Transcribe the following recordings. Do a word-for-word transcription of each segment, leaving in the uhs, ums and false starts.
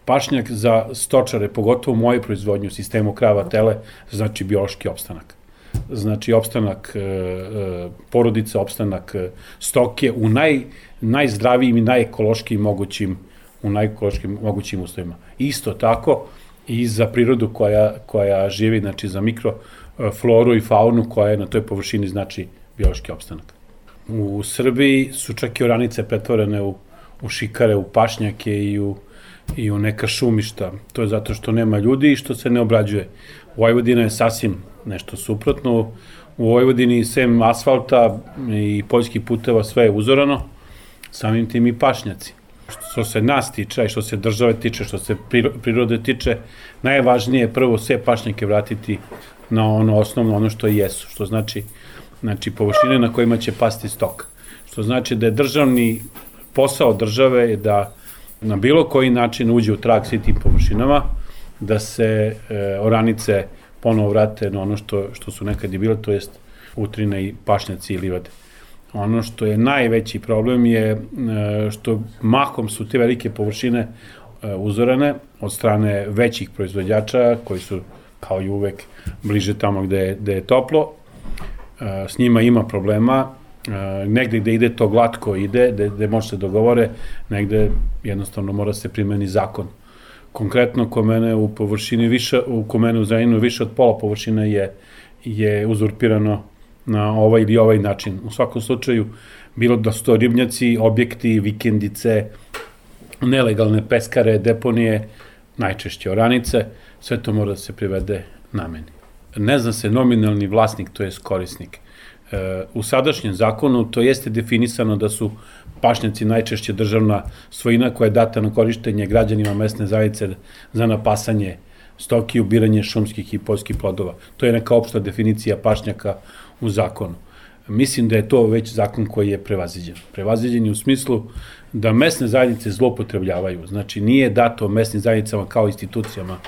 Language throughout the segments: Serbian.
Pašnjak za stočare, pogotovo moje proizvodnje u sistemu krava tele, znači biološki opstanak. Znači opstanak e, e, porodica, opstanak e, stoke u naj, najzdravijim i najekološkijim mogućim, u najekološkim mogućim uslovima. Isto tako i za prirodu koja, koja živi, znači za mikrofloru i faunu koja je na toj površini znači biološki opstanak. U Srbiji su čak i oranice pretvorene u, u šikare, u pašnjake i u, i u neka šumišta. To je zato što nema ljudi i što se ne obrađuje. Vojvodina je sasvim nešto suprotno. U Vojvodini sem asfalta i poljskih puteva sve je uzorano, samim tim i pašnjaci. Što se nas tiče, i što se države tiče, što se prirode tiče, najvažnije je prvo sve pašnjake vratiti na ono osnovno, ono što jesu, što znači, znači površine na kojima će pasti stok. Što znači da je državni posao države da na bilo koji način uđe u trag svim tim površinama, da se e, oranice ponovo vrate na ono što, što su nekad i bile, to jest utrine i pašnjaci i livade. Ono što je najveći problem je e, što mahom su te velike površine e, uzorane od strane većih proizvođača koji su kao i uvek bliže tamo gde je, gde je toplo. E, s njima ima problema. Uh, negde gde ide to glatko ide, gde, gde može se dogovore, negde jednostavno mora se primeni zakon. Konkretno, ko mene u površini više, u ko mene u Zrenjaninu više od pola površine je, je uzurpirano na ovaj ili ovaj način. U svakom slučaju, bilo da su to ribnjaci, objekti, vikendice, nelegalne peskare, deponije, najčešće oranice, sve to mora da se privede nameni. Ne zna se nominalni vlasnik, to je korisnik. U sadašnjem zakonu to jeste definisano da su pašnjaci najčešće državna svojina koja je data na korištenje građanima mesne zajednice za napasanje stoki i ubiranje šumskih i poljskih plodova. To je neka opšta definicija pašnjaka u zakonu. Mislim da je to već zakon koji je prevaziđen. Prevaziđen je u smislu da mesne zajednice zloupotrebljavaju. Znači nije dato mesnim zajednicama kao institucijama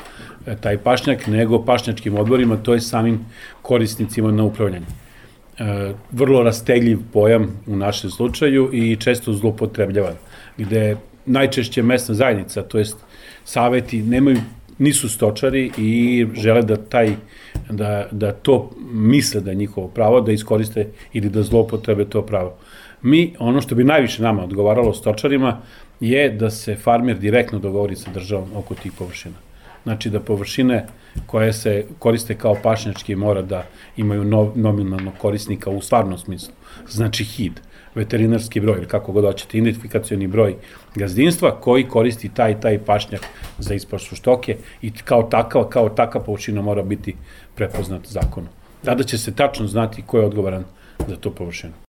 taj pašnjak, nego pašnjačkim odborima, to je samim korisnicima na upravljanje. Vrlo rastegljiv pojam u našem slučaju i često zloupotrebljavan, gde najčešće mesna zajednica, to jest saveti, nemaju, nisu stočari i žele da taj, da, da to misle da je njihovo pravo, da iskoriste ili da zloupotrebe to pravo. Mi, ono što bi najviše nama odgovaralo stočarima, je da se farmer direktno dogovori sa državom oko tih površina. Znači da površine koje se koriste kao pašnjački mora da imaju no, nominalnog korisnika u stvarnom smislu. Znači H I D, veterinarski broj, ili kako god hoćete, identifikacioni broj gazdinstva koji koristi taj taj pašnjak za ispašu stoke i kao takav, kao taka površina mora biti prepoznat zakonom. Tada će se tačno znati ko je odgovoran za tu površinu.